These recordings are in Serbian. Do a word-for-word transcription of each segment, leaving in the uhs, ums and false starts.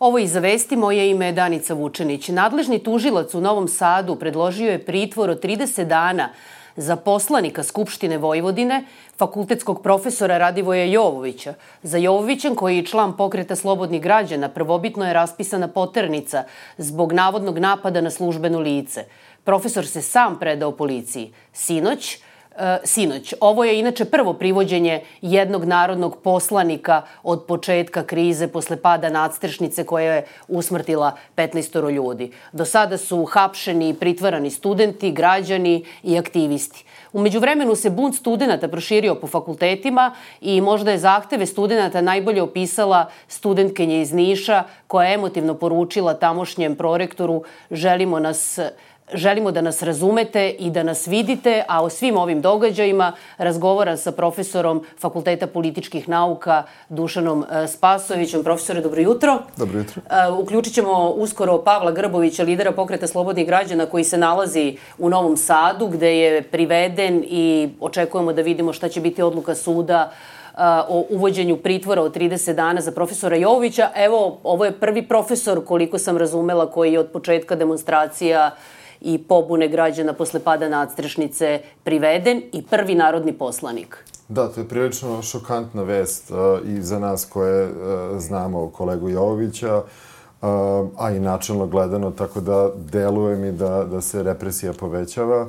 Ovo iz Vesti, moje ime je Danica Vučenić. Nadležni tužilac u Novom Sadu predložio je pritvor od trideset dana za poslanika Skupštine Vojvodine, fakultetskog profesora Radivoja Jovovića. Za Jovovićem, koji je član Pokreta slobodnih građana, prvobitno je raspisana poternica zbog navodnog napada na službeno lice. Profesor se sam predao policiji. Sinoć, Sinoć. Ovo je inače prvo privođenje jednog narodnog poslanika od početka krize posle pada nadstrešnice koja je usmrtila petnaestoro ljudi. Do sada su hapšeni i pritvarani studenti, građani i aktivisti. U međuvremenu se bunt studenata proširio po fakultetima i možda je zahteve studenata najbolje opisala studentkinja iz Niša koja je emotivno poručila tamošnjem prorektoru: želimo nas Želimo da nas razumete i da nas vidite, a o svim ovim događajima razgovaram sa profesorom Fakulteta političkih nauka Dušanom Spasojevićem. Profesore, dobro jutro. Dobro jutro. Uključit ćemo uskoro Pavla Grbovića, lidera Pokreta slobodnih građana, koji se nalazi u Novom Sadu, gde je priveden i očekujemo da vidimo šta će biti odluka suda o uvođenju pritvora od trideset dana za profesora Jovovića. Evo, ovo je prvi profesor, koliko sam razumela, koji je od početka demonstracija i pobune građana posle pada nadstrešnice priveden i prvi narodni poslanik. Da, to je prilično šokantna vest i za nas koje znamo kolegu Jovovića, a i načelno gledano, tako da deluje mi da, da se represija povećava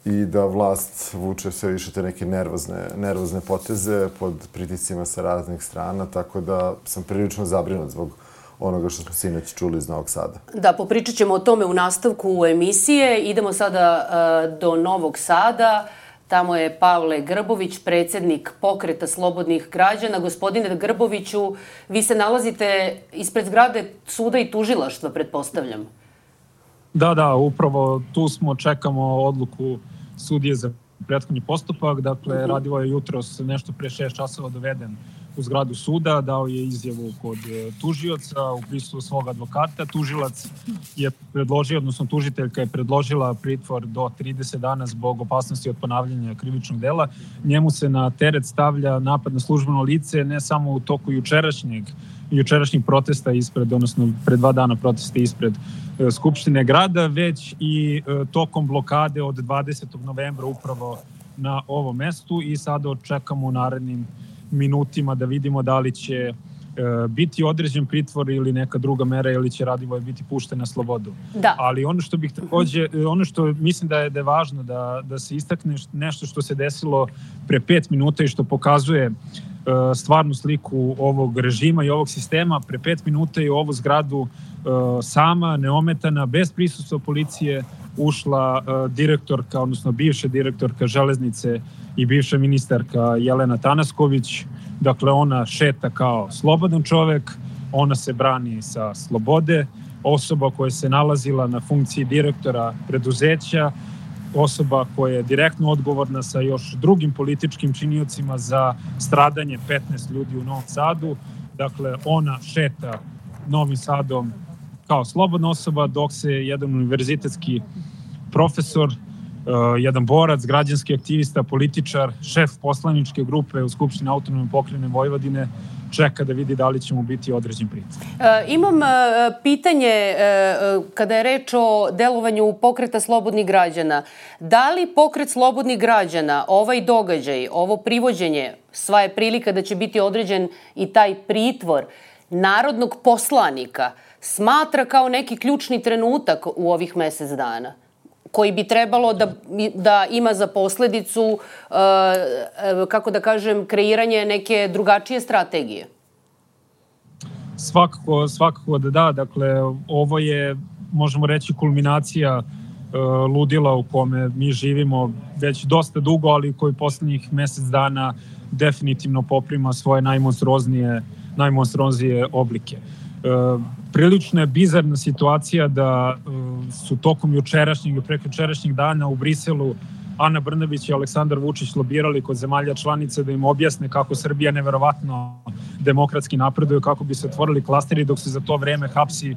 i da vlast vuče sve više te neke nervozne, nervozne poteze pod pritiscima sa raznih strana, tako da sam prilično zabrinut zbog onoga što smo sinoć čuli iz Novog Sada. Da, popričat ćemo o tome u nastavku emisije. Idemo sada uh, do Novog Sada. Tamo je Pavle Grbović, predsjednik Pokreta slobodnih građana. Gospodine Grboviću, vi se nalazite ispred zgrade suda i tužilaštva, pretpostavljam. Da, da, upravo tu smo, čekamo odluku sudije za prethodni postupak. Dakle, uh-huh. Radivo je jutros nešto pre šest časova doveden u zgradu suda, dao je izjavu kod tužioca u prisustvu svog advokata. Tužilac je predložio, odnosno tužiteljka je predložila pritvor do trideset dana zbog opasnosti od ponavljanja krivičnog dela. Njemu se na teret stavlja napad na službeno lice ne samo u toku jučerašnjeg jučerašnjeg protesta ispred, odnosno pre dva dana protesta ispred e, Skupštine grada, već i e, tokom blokade od dvadesetog novembra upravo na ovom mestu i sada očekamo u narednim minutima da vidimo da li će e, biti određen pritvor ili neka druga mera ili će Radivoj biti pušten na slobodu. Da. Ali ono što bih takođe, ono što mislim da je, da je važno da, da se istakne nešto što se desilo pre pet minuta i što pokazuje e, stvarnu sliku ovog režima i ovog sistema. Pre pet minuta je u ovu zgradu e, sama, neometana, bez prisustva policije ušla e, direktorka, odnosno bivša direktorka Železnice i bivša ministarka Jelena Tanasković. Dakle, ona šeta kao slobodan čovek, ona se brani sa slobode, osoba koja se nalazila na funkciji direktora preduzeća, osoba koja je direktno odgovorna sa još drugim političkim činiocima za stradanje petnaest ljudi u Novom Sadu. Dakle, ona šeta Novim Sadom kao slobodna osoba, dok se jedan univerzitetski profesor, Uh, jedan borac, građanski aktivista, političar, šef poslaničke grupe u Skupštini autonomne pokrajine Vojvodine čeka da vidi da li će mu biti određen pritvor. E, imam e, pitanje e, kada je reč o delovanju Pokreta slobodnih građana. Da li Pokret slobodnih građana, ovaj događaj, ovo privođenje, sva je prilika da će biti određen i taj pritvor narodnog poslanika, smatra kao neki ključni trenutak u ovih mesec dana, koji bi trebalo da, da ima za posledicu, uh, kako da kažem, kreiranje neke drugačije strategije? Svakako, svakako da da. Dakle, ovo je, možemo reći, kulminacija uh, ludila u kome mi živimo već dosta dugo, ali koji poslednjih mesec dana definitivno poprima svoje najmonstruoznije, najmonstruoznije oblike. Uh, prilično je bizarna situacija da uh, su tokom jučerašnjeg i prekjučerašnjeg dana u Briselu Ana Brnabić i Aleksandar Vučić lobirali kod zemalja članice da im objasne kako Srbija neverovatno demokratski napreduje, kako bi se otvorili klasteri, dok se za to vreme hapsi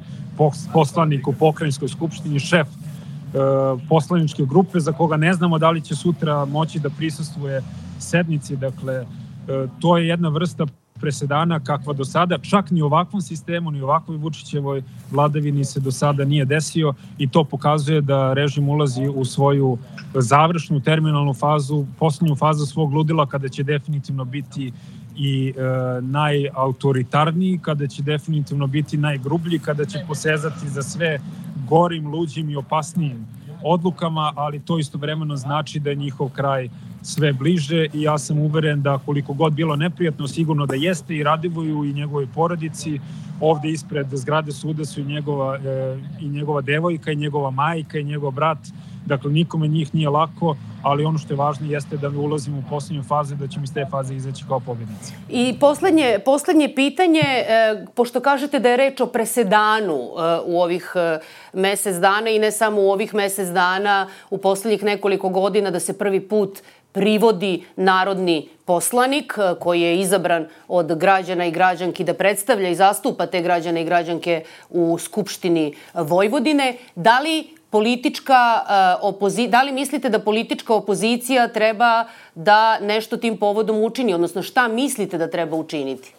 poslanik u pokrajinskoj skupštini, šef uh, poslaničke grupe za koga ne znamo da li će sutra moći da prisustvuje sednici. Dakle, uh, to je jedna vrsta presedana kakva do sada, čak ni u ovakvom sistemu, ni u ovakvoj Vučićevoj vladavini se do sada nije desio i to pokazuje da režim ulazi u svoju završnu terminalnu fazu, poslednju fazu svog ludila kada će definitivno biti i e, najautoritarniji, kada će definitivno biti najgrublji, kada će posezati za sve gorim, luđim i opasnijim odlukama, ali to istovremeno znači da je njihov kraj sve bliže i ja sam uveren da koliko god bilo neprijatno, sigurno da jeste i Radivoju i njegovoj porodici. Ovde ispred zgrade suda su i njegova, e, i njegova devojka i njegova majka i njegov brat. Dakle, nikome njih nije lako, ali ono što je važno jeste da mi ulazimo u poslednju fazu i da ćemo iz te faze izaći kao pobednici. I poslednje, poslednje pitanje, e, pošto kažete da je reč o presedanu e, u ovih e, mesec dana i ne samo u ovih mesec dana, u poslednjih nekoliko godina da se prvi put privodi narodni poslanik koji je izabran od građana i građanki da predstavlja i zastupa te građane i građanke u Skupštini Vojvodine. Da li politička opozicija, da li mislite da politička opozicija treba da nešto tim povodom učini, odnosno šta mislite da treba učiniti?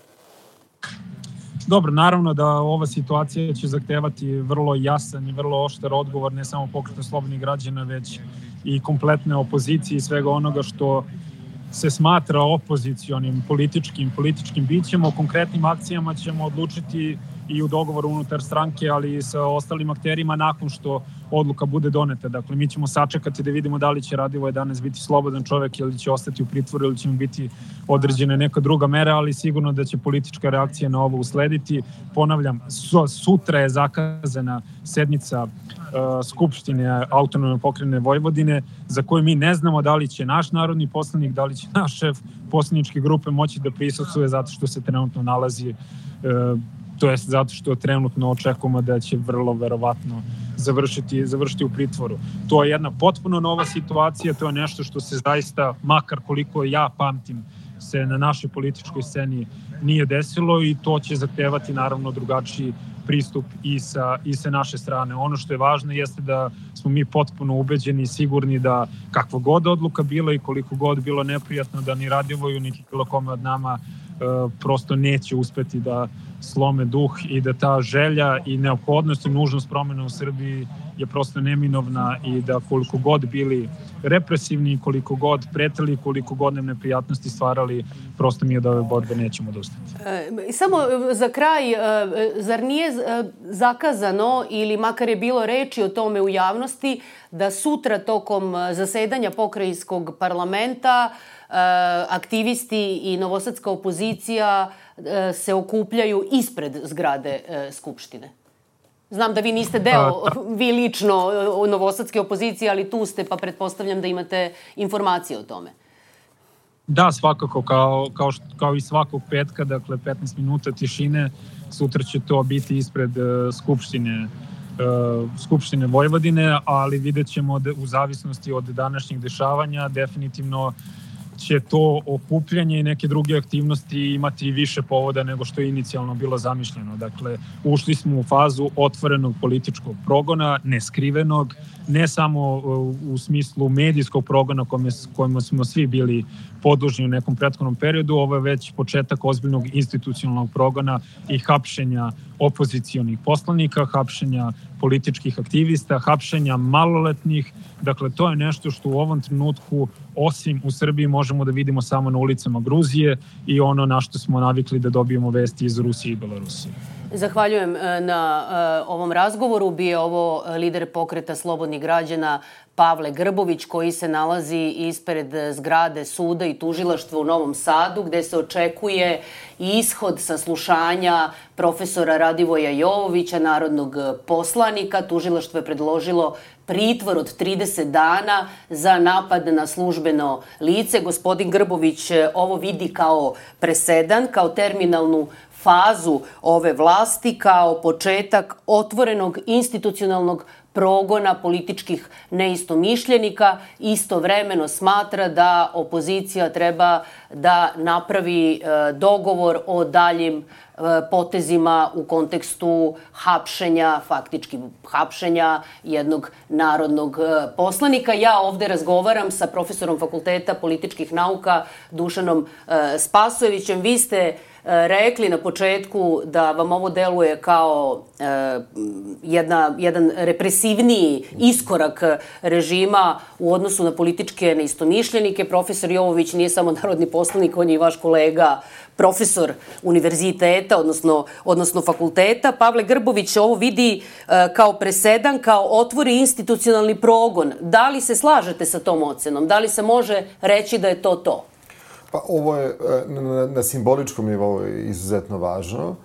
Dobro, naravno da ova situacija će zahtevati vrlo jasan i vrlo oštar odgovor ne samo Pokreta slobodnih građana, već i kompletne opozicije i svega onoga što se smatra opozicionim političkim, političkim bićem. O konkretnim akcijama ćemo odlučiti i u dogovoru unutar stranke, ali i sa ostalim akterima nakon što odluka bude doneta. Dakle, mi ćemo sačekati da vidimo da li će Radivoje danas biti slobodan čovek ili će ostati u pritvoru ili će mu biti određena neka druga mera, ali sigurno da će politička reakcija na ovo uslediti. Ponavljam, sutra je zakazana sednica uh, Skupštine Autonomne pokrajine Vojvodine, za koju mi ne znamo da li će naš narodni poslanik, da li će naš šef poslaničke grupe moći da prisustvuje zato što se trenutno nalazi uh, to jest zato što trenutno očekujemo da će vrlo verovatno završiti, završiti u pritvoru. To je jedna potpuno nova situacija, to je nešto što se zaista, makar koliko ja pamtim, se na našoj političkoj sceni nije desilo i to će zahtevati naravno drugačiji pristup i sa, i sa naše strane. Ono što je važno jeste da smo mi potpuno ubeđeni i sigurni da kakva god odluka bila i koliko god bilo neprijatno da ni Radivoju, niti bilo kome od nama e, prosto neće uspeti da slome duh i da ta želja i neophodnost i nužnost promjena u Srbiji je prosto neminovna i da koliko god bili represivni, koliko god preteli, koliko god nam neprijatnosti stvarali, prosto mi od ove borbe nećemo odustati. E, samo za kraj, zar nije zakazano ili makar je bilo reči o tome u javnosti da sutra tokom zasedanja pokrajinskog parlamenta aktivisti i novosadska opozicija se okupljaju ispred zgrade Skupštine? Znam da vi niste deo, vi lično, novosadske opozicije, ali tu ste, pa pretpostavljam da imate informacije o tome. Da, svakako, kao, kao, što, kao i svakog petka, dakle petnaest minuta tišine, sutra će to biti ispred uh, Skupštine, uh, Skupštine Vojvodine, ali vidjet ćemo da u zavisnosti od današnjih dešavanja definitivno će to okupljanje i neke druge aktivnosti imati više povoda nego što je inicijalno bilo zamišljeno. Dakle, ušli smo u fazu otvorenog političkog progona, neskrivenog, ne samo u smislu medijskog progona kojima smo svi bili podložni u nekom prethodnom periodu, ovo je već početak ozbiljnog institucionalnog progona i hapšenja opozicionih poslanika, hapšenja političkih aktivista, hapšenja maloletnih. Dakle, to je nešto što u ovom trenutku, osim u Srbiji, možemo da vidimo samo na ulicama Gruzije i ono na što smo navikli da dobijemo vesti iz Rusije i Belorusije. Zahvaljujem na uh, ovom razgovoru. Bio je ovo lider Pokreta slobodnih građana Pavle Grbović, koji se nalazi ispred zgrade suda i tužilaštva u Novom Sadu, gde se očekuje ishod saslušanja profesora Radivoja Jovovića, narodnog poslanika. Tužilaštvo je predložilo pritvor od trideset dana za napad na službeno lice. Gospodin Grbović ovo vidi kao presedan, kao terminalnu fazu ove vlasti, kao početak otvorenog institucionalnog progona političkih neistomišljenika. Istovremeno smatra da opozicija treba da napravi dogovor o daljim potezima u kontekstu hapšenja, faktički hapšenja jednog narodnog poslanika. Ja ovde razgovaram sa profesorom Fakulteta političkih nauka Dušanom Spasojevićem. Vi ste rekli na početku da vam ovo deluje kao jedna, jedan represivniji iskorak režima u odnosu na političke neistomišljenike. Profesor Jovović nije samo narodni poslanik, on je i vaš kolega, profesor univerziteta, odnosno, odnosno fakulteta. Pavle Grbović ovo vidi kao presedan, kao otvori institucionalni progon. Da li se slažete sa tom ocenom? Da li se može reći da je to to? Pa ovo je na, na simboličkom nivou izuzetno važno.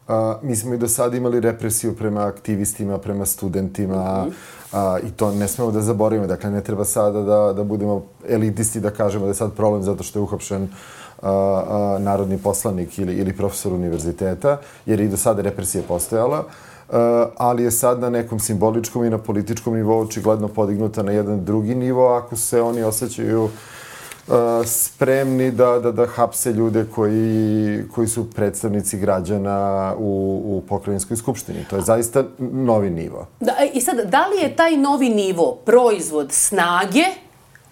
Uh, mi smo i do sada imali represiju prema aktivistima, prema studentima mm-hmm. uh, i to ne smemo da zaboravimo. Dakle, ne treba sada da, da budemo elitisti, da kažemo da je sad problem zato što je uhapšen uh, uh, narodni poslanik ili, ili profesor univerziteta, jer i do sada represija postojala. Uh, ali je sad na nekom simboličkom i na političkom nivou očigledno podignuta na jedan drugi nivo ako se oni osjećaju Uh, spremni da, da, da hapse ljude koji, koji su predstavnici građana u, u pokrajinskoj skupštini. To je zaista novi nivo. Da, i sad, da li je taj novi nivo proizvod snage,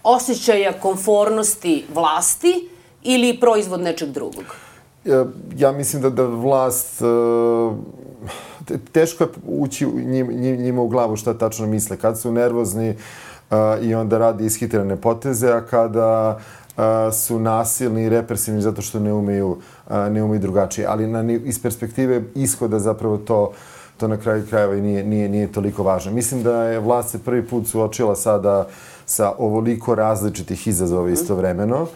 osjećaja komfornosti vlasti ili proizvod nečeg drugog? Ja, ja mislim da, da vlast... Uh, teško je ući njim, njima u glavu šta tačno misle. Kad su nervozni, Uh, i onda radi ishitrene poteze, a kada uh, su nasilni i represivni zato što ne umeju, uh, ne umeju drugačije. Ali na, iz perspektive ishoda zapravo to, to na kraju krajeva i nije, nije, nije toliko važno. Mislim da je vlast se prvi put suočila sada sa ovoliko različitih izazova istovremeno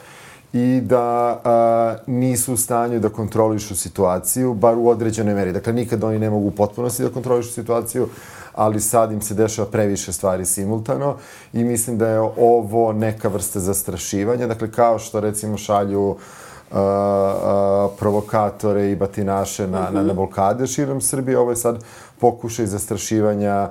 i da a, nisu u stanju da kontrolišu situaciju, bar u određenoj meri. Dakle, nikad oni ne mogu u potpunosti da kontrolišu situaciju, ali sad im se dešava previše stvari simultano i mislim da je ovo neka vrsta zastrašivanja. Dakle, kao što recimo šalju uh, uh, provokatore i batinaše na, mm-hmm. na, na blokade širom Srbije, ovo je sad pokušaj zastrašivanja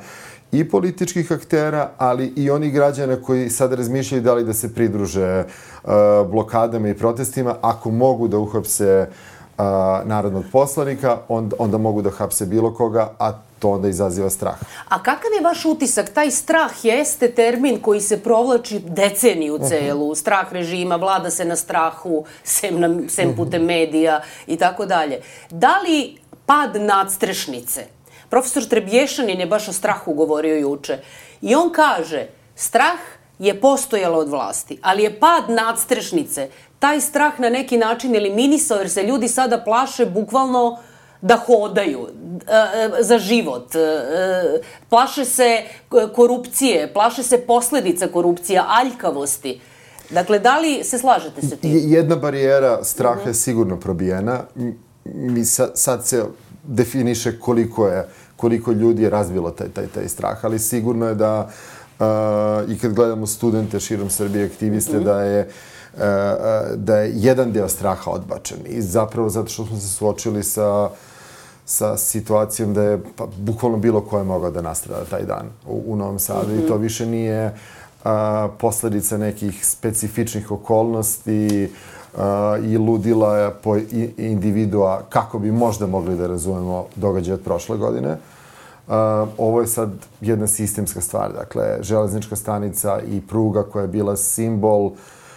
i političkih aktera, ali i onih građana koji sad razmišljaju da li da se pridruže uh, blokadama i protestima. Ako mogu da uhapse uh, narodnog poslanika, onda, onda mogu da hapse bilo koga, a to onda izaziva strah. A kakav je vaš utisak? Taj strah jeste termin koji se provlači deceniju celu. Uh-huh. Strah režima, vlada se na strahu, sem, na, sem putem medija i tako dalje. Da li pad nadstrešnice? Profesor Trebješanin je baš o strahu govorio juče. I on kaže, strah je postojalo od vlasti, ali je pad nadstrešnice taj strah na neki način eliminisao, jer se ljudi sada plaše bukvalno da hodaju e, za život. E, plaše se korupcije, plaše se posledica korupcija, aljkavosti. Dakle, da li se slažete sa tim? Jedna barijera straha uh-huh. je sigurno probijena. Mi sa, sad se definiše koliko je koliko ljudi je razvilo taj, taj, taj strah, ali sigurno je da uh, i kad gledamo studente širom Srbije, aktiviste, mm-hmm. da je uh, da je jedan deo straha odbačen. I zapravo zato što smo se suočili sa sa situacijom da je pa, bukvalno bilo ko je mogao da nastrada taj dan u, u Novom Sadu. Mm-hmm. I to više nije uh, posledica nekih specifičnih okolnosti Uh, i ludila po individua kako bi možda mogli da razumemo događaje od prošle godine. Uh, ovo je sad jedna sistemska stvar. Dakle, železnička stanica i pruga koja je bila simbol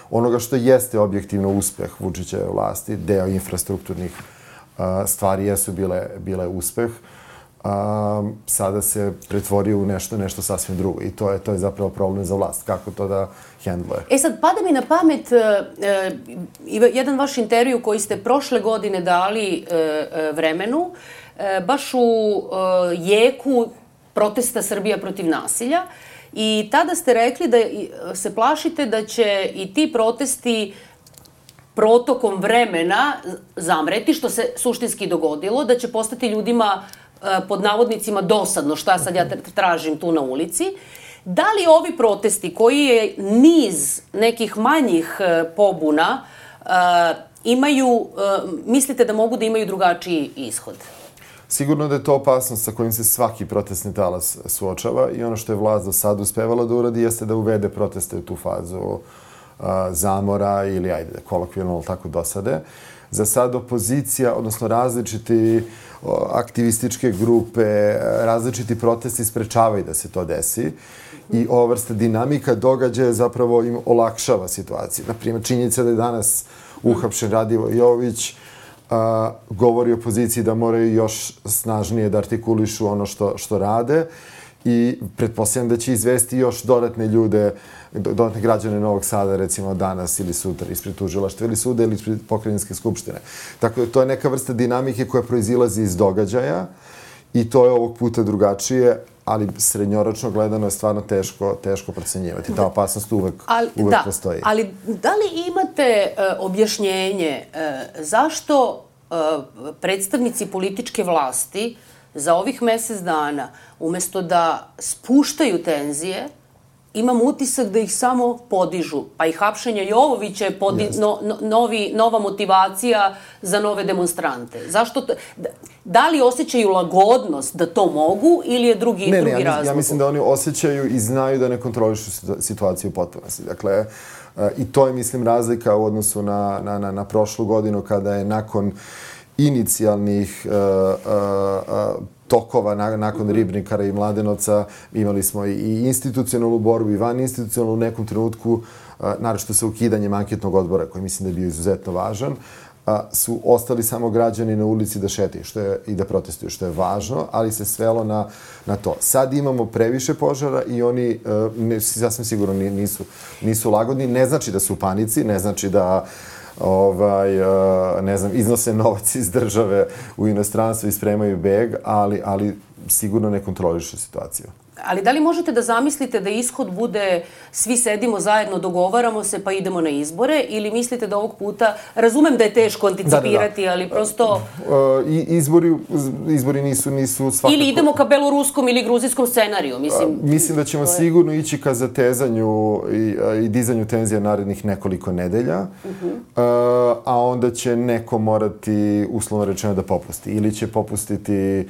onoga što jeste objektivno uspeh Vučićeve vlasti, deo infrastrukturnih uh, stvari jesu bile, bile uspeh. Um, sada se pretvorio u nešto, nešto sasvim drugo. I to je, to je zapravo problem za vlast. Kako to da hendluje? E sad, pada mi na pamet uh, uh, jedan vaš intervju koji ste prošle godine dali uh, uh, Vremenu, uh, baš u uh, jeku protesta Srbija protiv nasilja. I tada ste rekli da se plašite da će i ti protesti protokom vremena zamreti, što se suštinski dogodilo, da će postati ljudima pod navodnicima dosadno šta sad ja tražim tu na ulici. Da li ovi protesti koji je niz nekih manjih pobuna imaju, mislite da mogu da imaju drugačiji ishod? Sigurno da je to opasnost sa kojim se svaki protestni talas suočava i ono što je vlast do sada uspevala da uradi jeste da uvede proteste u tu fazu zamora ili, ajde, kolokvijalno tako dosade. Za sad opozicija, odnosno različiti aktivističke grupe, različiti protesti sprečavaju da se to desi. I ova vrsta dinamika događaja zapravo im olakšava situaciju. Naprimjer, činjenica da je danas uhapšen Radivoj Jovović a, govori opoziciji da moraju još snažnije da artikulišu ono što, što rade i pretpostavljam da će izvesti još dodatne ljude, dodatne građane Novog Sada, recimo danas ili sutra, ispred tužilaštva ili suda ili ispred pokrajinske skupštine. Tako da to je neka vrsta dinamike koja proizilazi iz događaja i to je ovog puta drugačije, ali srednjoročno gledano je stvarno teško, teško procenjivati. Ta opasnost uvek, ali, uvek da, postoji. Ali da li imate uh, objašnjenje uh, zašto uh, predstavnici političke vlasti za ovih mesec dana, umesto da spuštaju tenzije, imam utisak da ih samo podižu. Pa i hapšenje Jovovića je podi, no, no, novi, nova motivacija za nove demonstrante. Zašto to, da, da li osjećaju lagodnost da to mogu ili je drugi, ne, drugi ne, ja, razlog? Ja mislim da oni osjećaju i znaju da ne kontrolišu situaciju u potpunosti. Dakle, i to je, mislim, razlika u odnosu na, na, na, na prošlu godinu kada je nakon inicijalnih uh, uh, uh, tokova nakon Ribnikara i Mladenovca imali smo i institucionalnu borbu i van institucionalnu u nekom trenutku, naročito sa ukidanjem anketnog odbora, koji mislim da je bio izuzetno važan, su ostali samo građani na ulici da šetaju što je, i da protestuju, što je važno, ali se svelo na, na to. Sad imamo previše požara i oni, ne, sasvim sigurno nisu, nisu lagodni. Ne znači da su u panici, ne znači da ovaj, ne znam, iznose novac iz države u inostranstvo i spremaju beg, ali, ali sigurno ne kontrolišu situaciju. Ali da li možete da zamislite da ishod bude svi sedimo zajedno, dogovaramo se pa idemo na izbore, ili mislite da ovog puta, razumem da je teško anticipirati, da, da, da. ali prosto... Uh, izbori, izbori nisu, nisu svakako... Ili idemo ka beloruskom ili gruzijskom scenariju, mislim... Uh, mislim da ćemo je... sigurno ići ka zatezanju i, i dizanju tenzija narednih nekoliko nedelja, uh-huh. uh, a onda će neko morati, uslovno rečeno, da popusti. Ili će popustiti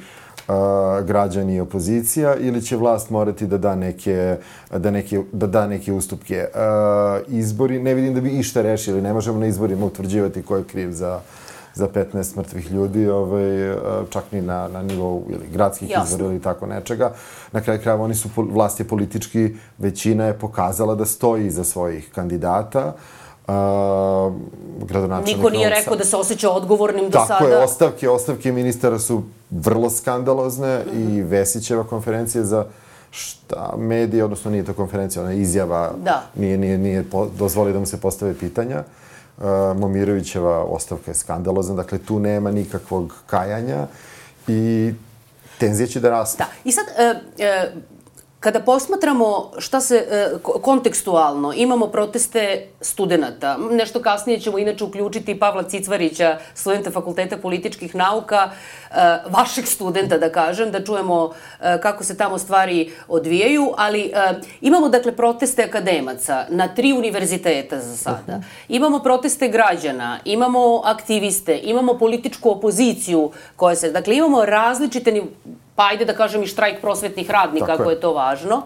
Uh, građani i opozicija, ili će vlast morati da da neke, da neke, da da neke ustupke. Uh, izbori, ne vidim da bi išta rešili, ne možemo na izborima utvrđivati ko je kriv za, za petnaest mrtvih ljudi, ovaj, uh, čak ni na, na nivou ili gradskih Jasne. izbora ili tako nečega. Na kraju krajeva oni su, vlast je politički, većina je pokazala da stoji iza svojih kandidata. Uh, Niko nije rekao da se osjeća odgovornim do sada. Tako je, ostavke, ostavke ministara su vrlo skandalozne mm-hmm. i Vesićeva konferencija za šta medije, odnosno nije to konferencija, ona izjava, da. nije, nije, nije dozvoli da mu se postave pitanja. Uh, Momirovićeva ostavka je skandalozna, dakle tu nema nikakvog kajanja i tenzije će da rastu. Da, i sad... Uh, uh, Kada posmatramo šta se e, kontekstualno, imamo proteste studenata. Nešto kasnije ćemo inače uključiti Pavla Cicvarića, studenta Fakulteta političkih nauka, e, vašeg studenta, da kažem, da čujemo e, kako se tamo stvari odvijaju, ali e, imamo dakle proteste akademaca na tri univerziteta za sada. Imamo proteste građana, imamo aktiviste, imamo političku opoziciju koja se, dakle imamo različite, pa ajde da kažem i štrajk prosvetnih radnika, ako je to važno.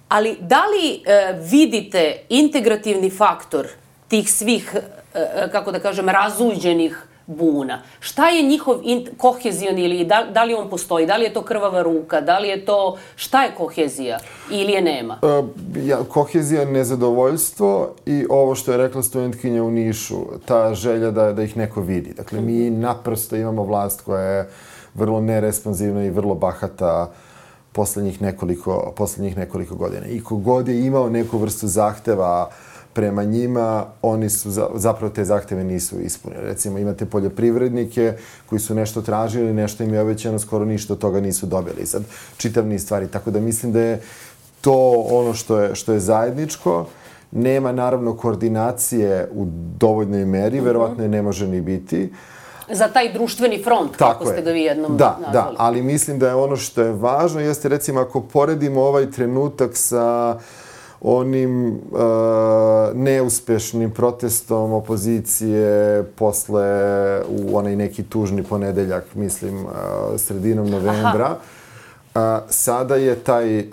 Ali da li e, vidite integrativni faktor tih svih, e, kako da kažem, razuđenih buna? Šta je njihov kohezion ili da, da li on postoji? Da li je to krvava ruka? Da li je to... Šta je kohezija? Ili je nema? E, ja, kohezija je nezadovoljstvo i ovo što je rekla studentkinja u Nišu, ta želja da, da ih neko vidi. Dakle, mi naprosto imamo vlast koja je vrlo neresponsivna i vrlo bahata poslednjih nekoliko, poslednjih nekoliko godina. I kogod je imao neku vrstu zahteva prema njima, oni su, zapravo te zahteve nisu ispunili. Recimo, imate poljoprivrednike koji su nešto tražili, nešto im je obećano, skoro ništa od toga nisu dobili. Sad, čitav niz stvari. Tako da mislim da je to ono što je, što je zajedničko. Nema, naravno, koordinacije u dovoljnoj meri, mm-hmm. verovatno je ne može ni biti. Za taj društveni front, Tako kako ste je. ga vi jednom da, nazvali. Da, ali mislim da je ono što je važno, jeste recimo ako poredimo ovaj trenutak sa onim uh, neuspešnim protestom opozicije posle u onaj neki tužni ponedeljak, mislim, uh, sredinom novembra, uh, sada je taj uh,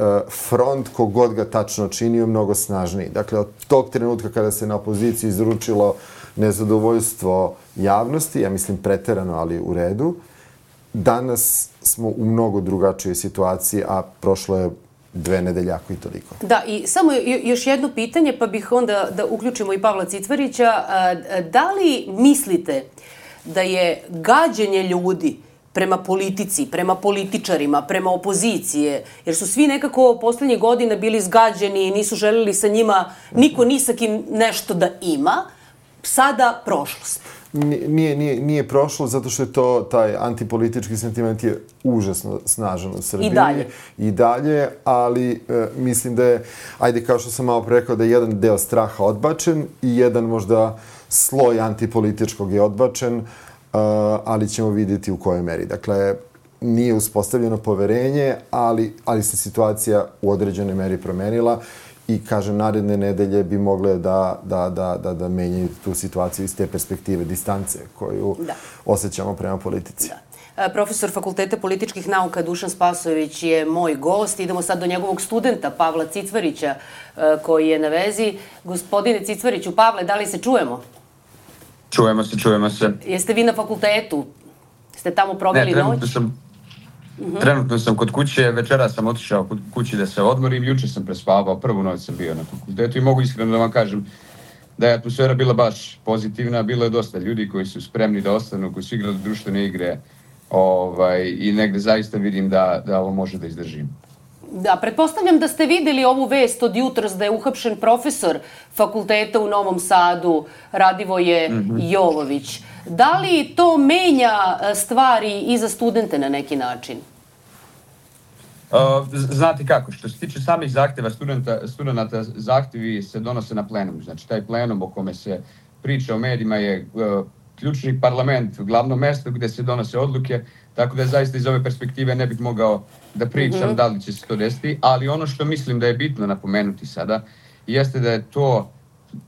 front, kogod ga tačno činio, mnogo snažniji. Dakle, od tog trenutka kada se na opoziciju izručilo nezadovoljstvo javnosti, ja mislim preterano, ali u redu. Danas smo u mnogo drugačijoj situaciji, a prošlo je dve nedelje, ako i toliko. Da, i samo još jedno pitanje, pa bih onda da uključimo i Pavla Cicvarića. Da li mislite da je gađenje ljudi prema politici, prema političarima, prema opozicije, jer su svi nekako poslednjih godina bili zgađeni i nisu želeli sa njima, niko ni sa kim nešto da ima, sada prošlost. Nije, nije, nije prošlo zato što je to, taj antipolitički sentiment je užasno snažan u Srbiji. I dalje. I dalje, ali e, mislim da je, ajde kao što sam malo rekao, da je jedan deo straha odbačen i jedan možda sloj antipolitičkog je odbačen, e, ali ćemo vidjeti u kojoj meri. Dakle, nije uspostavljeno poverenje, ali, ali se situacija u određenoj meri promenila. I, kažem, naredne nedelje bi mogle da, da, da, da, da menjaju tu situaciju iz te perspektive, distance koju da. osjećamo prema politici. Da. Profesor Fakulteta političkih nauka Dušan Spasojević je moj gost. Idemo sad do njegovog studenta Pavla Cicvarića koji je na vezi. Gospodine Cicvariću, Pavle, da li se čujemo? Čujemo se, čujemo se. Jeste vi na fakultetu? Ste tamo proveli ne, noć? Sam... Uh-huh. Trenutno sam kod kuće, večera sam otišao kod kući da se odmorim, juče sam prespavao, prvu noć sam bio na fakultetu i mogu iskreno da vam kažem da je atmosfera bila baš pozitivna, bilo je dosta ljudi koji su spremni da ostanu, koji su igrali društvene igre ovaj, i negde zaista vidim da, da ovo može da izdržim. Da, pretpostavljam da ste videli ovu vest od jutros da je uhapšen profesor fakulteta u Novom Sadu, Radivoje mm-hmm. Jovović. Da li to menja stvari i za studente na neki način? Uh, znate kako, što se tiče samih zahtjeva studenta, studenta, zahtjevi se donose na plenumu. Znači, taj plenum o kome se priča o medijima je uh, ključni parlament, glavno mesto gde se donose odluke, tako da zaista iz ove perspektive ne bih mogao da pričam mm-hmm. da li će se to desiti, ali ono što mislim da je bitno napomenuti sada jeste da je to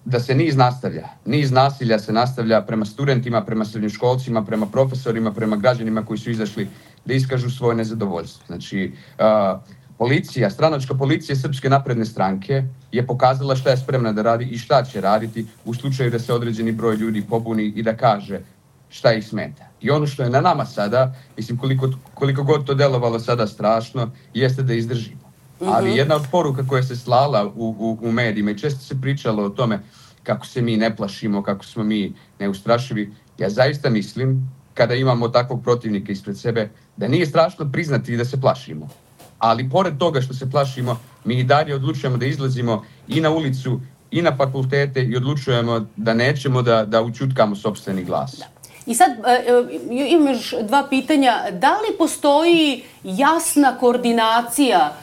da se niz nastavlja. Niz nasilja se nastavlja prema studentima, prema srednjoškolcima, prema profesorima, prema građanima koji su izašli da iskažu svoje nezadovoljstvo. Znači, uh, policija, stranačka policija Srpske napredne stranke je pokazala šta je spremna da radi i šta će raditi u slučaju da se određeni broj ljudi pobuni i da kaže šta ih smeta. I ono što je na nama sada, mislim koliko, koliko god to delovalo sada strašno, jeste da izdržimo. Ali jedna od poruka koja se slala u, u, u medijima i često se pričalo o tome kako se mi ne plašimo, kako smo mi neustrašivi, ja zaista mislim, kada imamo takvog protivnika ispred sebe, da nije strašno priznati da se plašimo. Ali pored toga što se plašimo, mi i dalje odlučujemo da izlazimo i na ulicu i na fakultete i odlučujemo da nećemo da, da učutkamo sopstveni glas. Da. I sad imam još dva pitanja. Da li postoji jasna koordinacija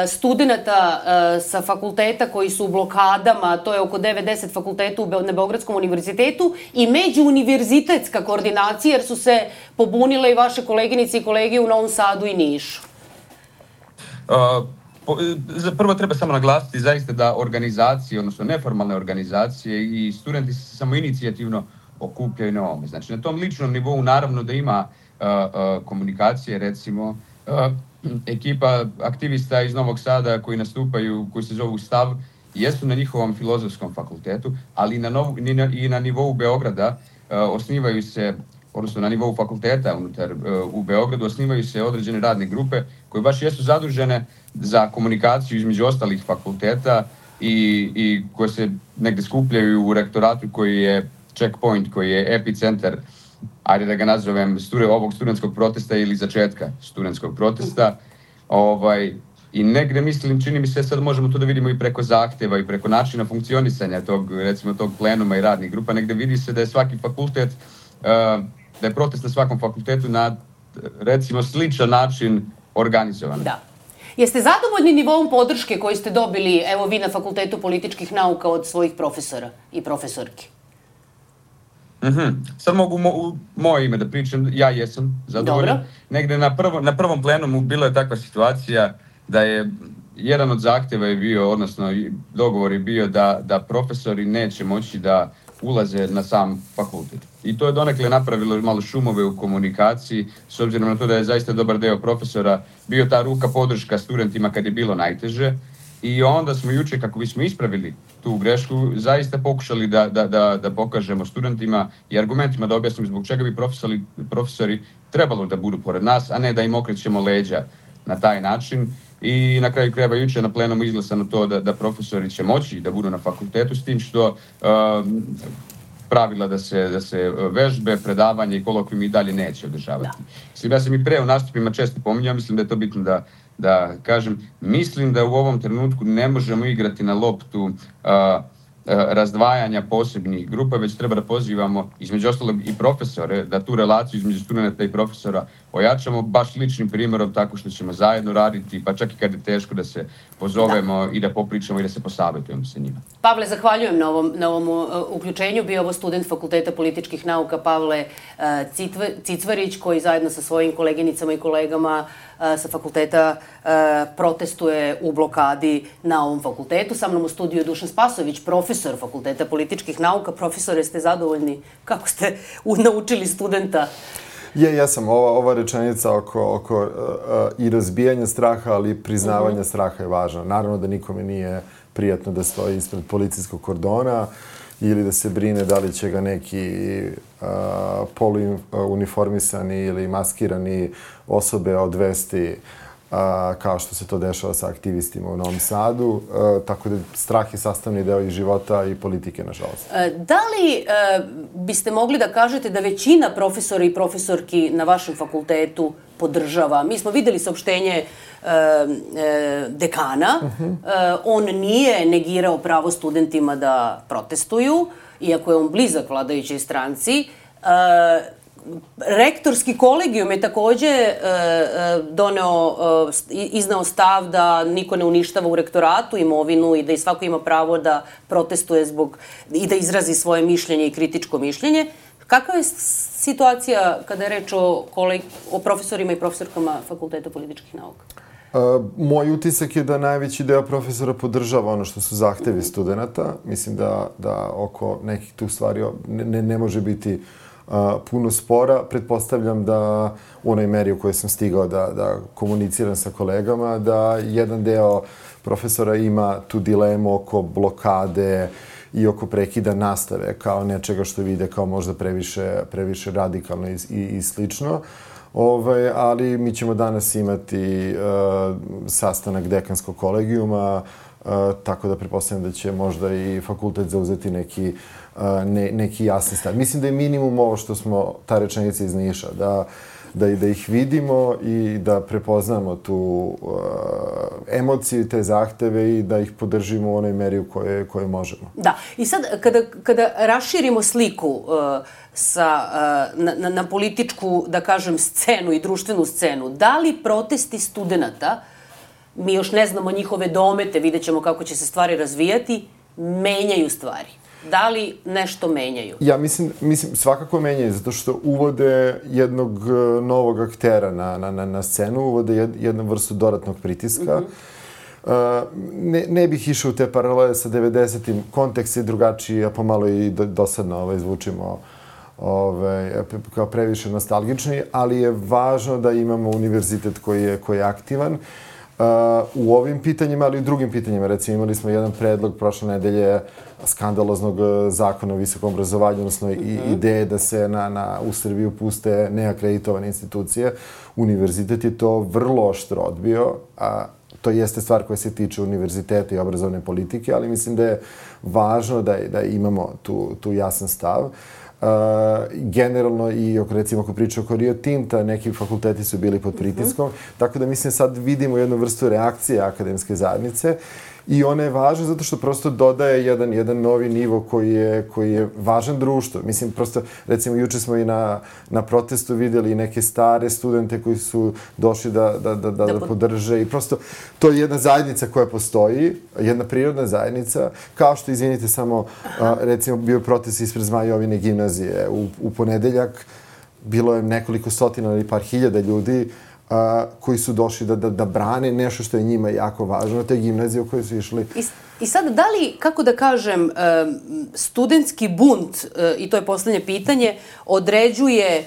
studenta sa fakulteta koji su u blokadama, to je oko devedeset fakulteta na Beogradskom univerzitetu, i međuuniverzitetska koordinacija, jer su se pobunile i vaše koleginice i kolege u Novom Sadu i Nišu? Uh, po, prvo treba samo naglasiti zaista da organizacije, odnosno neformalne organizacije i studenti se samoinicijativno okupljaju na ovome. Znači, na tom ličnom nivou naravno da ima uh, uh, komunikacije, recimo, uh, ekipa aktivista iz Novog Sada koji nastupaju, koji se zovu Stav, jesu na njihovom filozofskom fakultetu, ali i na, novu, i na, i na nivou Beograda uh, osnivaju se, odnosno na nivou fakulteta unutar uh, u Beogradu, osnivaju se određene radne grupe koje baš jesu zadužene za komunikaciju između ostalih fakulteta i, i koje se negde skupljaju u rektoratu koji je checkpoint, koji je epicentar, ajde da ga nazovem, ovog studentskog protesta ili začetka studentskog protesta. Ovaj, I negde mislim, čini mi se, sad možemo to da vidimo i preko zahteva i preko načina funkcionisanja tog, recimo, tog plenuma i radnih grupa. Negde vidi se da je svaki fakultet, da je protest na svakom fakultetu na, recimo, sličan način organizovan. Da. Jeste zadovoljni nivoom podrške koji ste dobili, evo vi na Fakultetu političkih nauka, od svojih profesora i profesorki? Mm-hmm. Sad mogu mo, u moje ime da pričam, ja jesam zadovoljan. Dobro. Negde na, prvo, na prvom plenumu bila je takva situacija da je jedan od zahtjeva je bio, odnosno dogovor je bio da, da profesori neće moći da ulaze na sam fakultet. I to je donekle napravilo malo šumove u komunikaciji, s obzirom na to da je zaista dobar deo profesora bio ta ruka podrška studentima kad je bilo najteže. I onda smo juče, kako bismo ispravili tu grešku, zaista pokušali da, da, da, da pokažemo studentima i argumentima da objasnimo zbog čega bi profesori, profesori trebalo da budu pored nas, a ne da im okrećemo leđa na taj način. I na kraju krajeva juče na plenumu izglasano to da, da profesori će moći da budu na fakultetu, s tim što uh, pravila da se, da se vežbe, predavanje i kolokvijumi i dalje neće održavati. Mislim, ja sam i pre u nastupima često pominjao, mislim da je to bitno da, da kažem. Mislim da u ovom trenutku ne možemo igrati na loptu uh, razdvajanja posebnih grupa, već treba da pozivamo između ostalog i profesore, da tu relaciju između studenta i profesora ojačamo baš ličnim primjerom tako što ćemo zajedno raditi, pa čak i kad je teško da se pozovemo da. i da popričamo i da se posavjetujemo sa njima. Pavle, zahvaljujem na ovom, na ovom uh, uključenju. Bio ovo student Fakulteta političkih nauka Pavle uh, Citv, Cicvarić, koji zajedno sa svojim koleginicama i kolegama uh, sa fakulteta uh, protestuje u blokadi na ovom fakultetu. Sa mnom u studiju je Dušan Spasović, profesor Fakulteta političkih nauka. Profesore, ste zadovoljni? Kako ste naučili studenta? Je, ja sam. Ova, ova rečenica oko, oko uh, i razbijanja straha, ali i priznavanja uh-huh. straha je važna. Naravno da nikome nije prijatno da stoji ispred policijskog kordona ili da se brine da li će ga neki uh, poluuniformisani ili maskirani osobe odvesti uh, kao što se to dešava sa aktivistima u Novom Sadu. Uh, tako da strah je sastavni deo i života i politike, nažalost. Da li uh, biste mogli da kažete da većina profesora i profesorki na vašem fakultetu podržava? Mi smo videli saopštenje uh, uh, dekana. Uh-huh. Uh, on nije negirao pravo studentima da protestuju, iako je on blizak vladajućoj stranci. Uh, Rektorski kolegijum je takođe e, doneo, e, iznao stav da niko ne uništava u rektoratu imovinu i da i svako ima pravo da protestuje zbog i da izrazi svoje mišljenje i kritičko mišljenje. Kakva je situacija kada je reč o, koleg, o profesorima i profesorkama Fakulteta političkih nauka? Uh, moj utisak je da najveći deo profesora podržava ono što su zahtevi mm-hmm. studenta. Mislim da, da oko nekih tu stvari ne, ne može biti Uh, puno spora. Pretpostavljam da u onoj meri u kojoj sam stigao da, da komuniciram sa kolegama, da jedan deo profesora ima tu dilemu oko blokade i oko prekida nastave kao nečega što vide kao možda previše, previše radikalno i, i, i slično. Ove, ali mi ćemo danas imati uh, sastanak dekanskog kolegijuma, uh, tako da pretpostavljam da će možda i fakultet zauzeti neki Ne, neki jasni stav. Mislim da je minimum ovo što smo, ta rečenica iz Niša, da, da, da ih vidimo i da prepoznamo tu uh, emociju i te zahteve i da ih podržimo u onoj meri u kojoj, kojoj možemo. Da. I sad, kada, kada raširimo sliku uh, sa, uh, na, na političku, da kažem, scenu i društvenu scenu, da li protesti studenata, mi još ne znamo njihove domete, vidjet ćemo kako će se stvari razvijati, menjaju stvari? Da li nešto menjaju? Ja mislim, mislim svakako menjaju, zato što uvode jednog novog aktera na, na, na, na scenu, uvode jed, jednu vrstu dodatnog pritiska. Mm-hmm. Uh, ne, ne bih išao u te paralele sa devedesetim. Kontekst je drugačiji, a pomalo i do, dosadno ovaj, zvučimo ovaj, kao previše nostalgični, ali je važno da imamo univerzitet koji je, koji je aktivan. Uh, u ovim pitanjima, ali i u drugim pitanjima. Recimo, imali smo jedan predlog prošle nedelje skandaloznog zakona o visokom obrazovanju, odnosno i mm-hmm. ideje da se na, na, u Srbiju puste neakreditovane institucije. Univerzitet je to vrlo oštro odbio, a to jeste stvar koja se tiče univerziteta i obrazovne politike, ali mislim da je važno da, da imamo tu, tu jasan stav. Uh, generalno i recimo ako priča oko Rio Tinta, neki fakulteti su bili pod pritiskom, mm-hmm. tako da mislim sad vidimo jednu vrstu reakcije akademske zajednice i ona je važna zato što prosto dodaje jedan, jedan novi nivo koji je, koji je važan društvu. Mislim, prosto, recimo, juče smo i na, na protestu vidjeli neke stare studente koji su došli da, da, da, da, da podrže i prosto to je jedna zajednica koja postoji, jedna prirodna zajednica, kao što, izvinite, samo, a, recimo, bio protest ispred Zmajovine gimnazije u, u ponedeljak, bilo je nekoliko stotina ili par hiljada ljudi a, koji su došli da, da, da brane nešto što je njima jako važno, te gimnazije u kojoj su išli. I, i sad, da li, kako da kažem, studentski bunt, i to je poslednje pitanje, određuje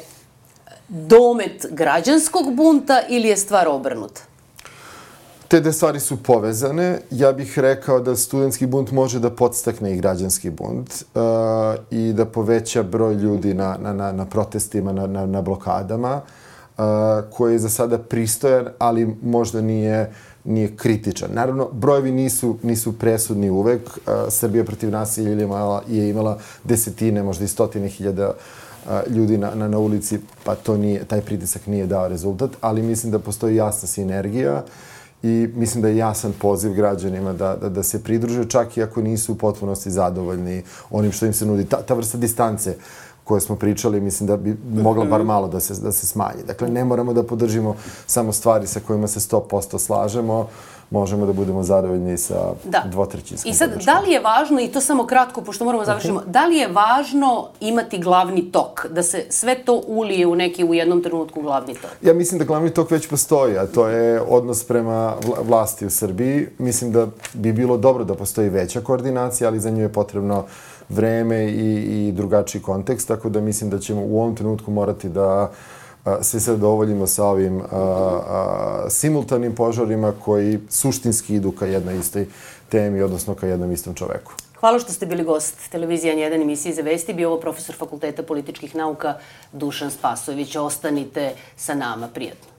domet građanskog bunta ili je stvar obrnuta? Te dve stvari su povezane. Ja bih rekao da studentski bunt može da podstakne i građanski bunt uh, i da poveća broj ljudi na, na, na, na protestima, na, na, na blokadama, uh, koji je za sada pristojan, ali možda nije nije kritičan. Naravno, brojevi nisu, nisu presudni uvek. Srbija protiv nasilja je imala, je imala desetine, možda i stotine hiljada ljudi na, na, na ulici, pa to nije, taj pritisak nije dao rezultat, ali mislim da postoji jasna sinergija i mislim da je jasan poziv građanima da, da, da se pridruže, čak i ako nisu u potpunosti zadovoljni onim što im se nudi. Ta, ta vrsta distance koje smo pričali, mislim da bi mogla bar malo da se, da se smanji. Dakle, ne moramo da podržimo samo stvari sa kojima se sto posto slažemo, možemo da budemo zadovoljni sa da. dvotrećinskom I sad, podrškom. Da li je važno, i to samo kratko, pošto moramo završimo, uh-huh. da li je važno imati glavni tok, da se sve to ulije u neki u jednom trenutku glavni tok? Ja mislim da glavni tok već postoji, a to je odnos prema vlasti u Srbiji. Mislim da bi bilo dobro da postoji veća koordinacija, ali za nju je potrebno vreme i, i drugačiji kontekst, tako da mislim da ćemo u ovom trenutku morati da a, se zadovoljimo sa ovim a, a, simultanim požarima koji suštinski idu ka jednoj istoj temi, odnosno ka jednom istom čoveku. Hvala što ste bili gost televizije N jedan emisije za vesti. Bio ovo profesor Fakulteta političkih nauka Dušan Spasojević. Ostanite sa nama. Prijatno.